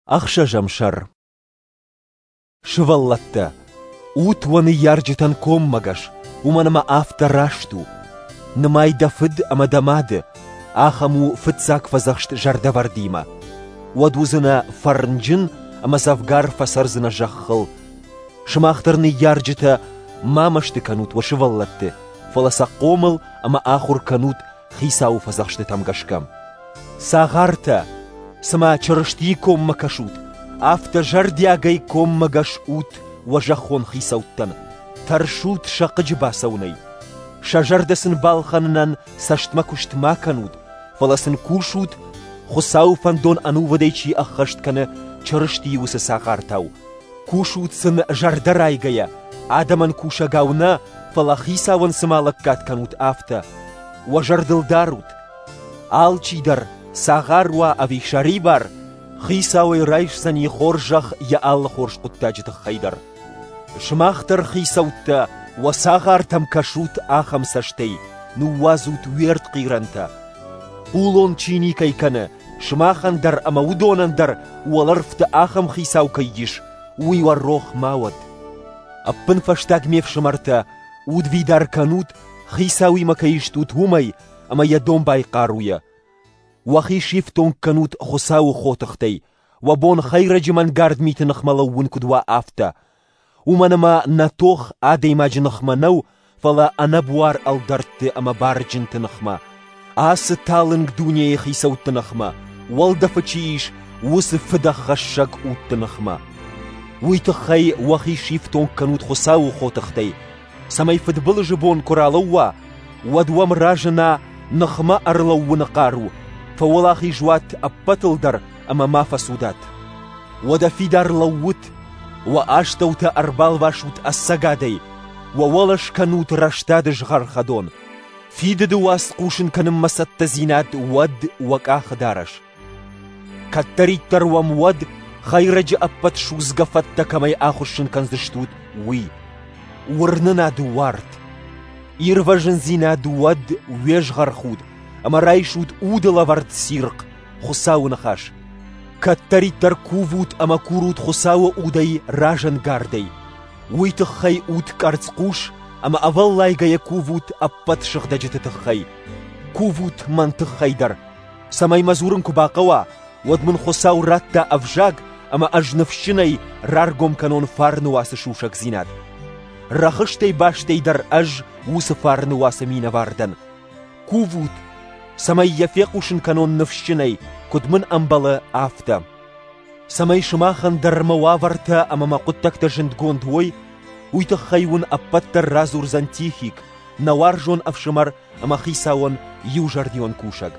Ӕхсӕзӕм сӕр. Сывӕллӕттӕ, ут уӕ ныййарджытӕн коммӕгӕс, уымӕн ӕмӕ афтӕ раст у. Нымай дӕ фыд ӕмӕ дӕ мады, ахӕм у фыццаг фӕдзӕхст зӕрдӕвӕрдимӕ. Уӕд уыдзынӕ фӕрнджын ӕмӕ дзӕвгар фӕцӕрдзынӕ зӕххыл. Сымах дӕр ныййарджытӕ ма мӕсты кӕнут уӕ сывӕллӕтты, фӕлӕ сӕ хъомыл ӕмӕ ахуыр кӕнут Хицауы фӕдзӕхстытӕм гӕсгӕ. Цагъартӕ, цыма Чырыстийы коммӕ кӕсут, афтӕ зӕрдиагӕй коммӕгӕс ут уӕ зӕххон хицӕуттӕн, тӕрсут сӕ хъыджы бацӕуынӕй. Сӕ зӕрдӕ сын балхӕнынӕн цӕстмӕ куыст ма кӕнут, фӕлӕ сын кусут, Хуыцауы фӕндон ӕнувыдӕй чи ӕххӕст кӕны, Чырыстийы уыцы цагъартау. Кусут сын зӕрдӕрайгӕйӕ, адӕмӕн кусӕгау нӕ, фӕлӕ Хицауӕн цыма лӕггад кӕнут, афтӕ. Уӕ зӕрдыл дарут, алчидӕр, цагъар уа ӕви сӕрибар, Хицауӕй райсдзӕни хорзӕх йӕ алы хорз хъуыддаджы тыххӕй дӕр. Сымах дӕр, хицӕуттӕ, уӕ цагъартӕм кӕсут ахӕм цӕстӕй, ныууадзут уе ртхъирӕнтӕ. Хъулон чи никӕй кӕны, сымахӕн дӕр ӕмӕ уыдонӕн дӕр уӕлӕрвты ахӕм хицау кӕй ис, уый уӕ рох ма уӕд. Ӕппынфӕстаг ме фсымӕртӕ, удвидар кӕнут, хицауимӕ кӕй стут, уымӕй ӕмӕ йӕ домбай хъаруйӕ. Уӕхи сифтонг кӕнут Хуыцауы хотыхтӕй, уӕ бон хӕйрӕджы мӕнгард миты ныхмӕ лӕууын куыд уа, афтӕ. Уымӕн ӕмӕ нӕ тох адӕймаджы ныхмӕ нӕу, фӕлӕ ӕнӕбуар ӕлдӕртты ӕмӕ барджынты ныхмӕ, ацы талынг дунейы хицӕутты ныхмӕ, уӕлдӕфы чи ис, уыцы фыдӕххӕссӕг удты ныхмӕ. Уый тыххӕй уӕхи сифтонг кӕнут Хуыцауы хотыхтӕй, цӕмӕй фыдбылызы бон куы ралӕууа, уӕд уӕм разына ныхмӕ ӕрлӕууыны хъару, фӕуӕлахиз уат ӕппӕтыл дӕр ӕмӕ ма фӕцудат. Уӕдӕ фидар лӕуут, уӕ астӕутӕ ӕрбалвасут ӕцӕгадӕй, уӕ уӕлӕ скӕнут рӕстады згъӕрхӕдон. Фидыды уац хъусын кӕнынмӕ цӕттӕдзинад уӕд уӕ къахыдарӕс. Кӕддӕриддӕр уӕм уӕд, хӕйрӕджы ӕппӕт судзгӕ фӕттӕ кӕмӕй ахуыссын кӕндзыстут, уый. Уырнынады уарт. Ирвӕзындзинад уӕд уе згъӕрхуд, ӕмӕ райсут уды лӕвӕрд цирхъ, Хуыцауы ныхас. Кӕддӕриддӕр кувут ӕмӕ курут Хуыцауы удӕй разӕнгардӕй. Уый тыххӕй ут къӕрцхъус ӕмӕ ӕвӕллайгӕйӕ кувут ӕппӕт сыгъдӕджыты тыххӕй. Кувут мӕн тыххӕй дӕр, цӕмӕй мӕ дзурын куы бахъӕуа, уӕд мын Хуыцау радта ӕвзаг ӕмӕ ӕз ныфсджынӕй раргом кӕнон фарны уацы сусӕгдзинад. Рӕхыстӕй бастӕй дӕр ӕз уыцы фарны уацы минӕвар дӕн. Кувут, цӕмӕй йӕ фехъусын кӕнон ныфсджынӕй, куыд мын ӕмбӕлы, афтӕ. Цӕмӕй сымахӕн дӕр мӕ уавӕртӕ ӕмӕ мӕ хъуыддӕгтӕ зындгонд уой, уый тыххӕй уын ӕппӕт дӕр радзурдзӕн Тихик, нӕ уарзон ӕфсымӕр ӕмӕ хицауӕн иузӕрдион кусӕг.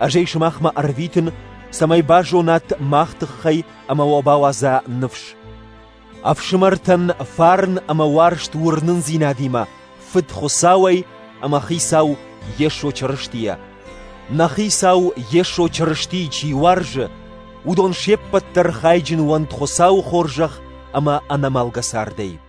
Ӕз ӕй сымахмӕ ӕрвитын, цӕмӕй базонат мах тыххӕй ӕмӕ уӕ бауадза ныфс. Ӕфсымӕртӕн фарн ӕмӕ уарзт уырнындзинадимӕ Фыд Хуыцауӕй ӕмӕ Хицау Йесо Чырыстийӕ. Нӕ Хицау Йесо Чырыстийы чи уарзы, уыдон се ппӕт дӕр хайджын уӕнт Хуыцауы хорзӕх ӕмӕ ӕнӕмӕлгӕ цардӕй.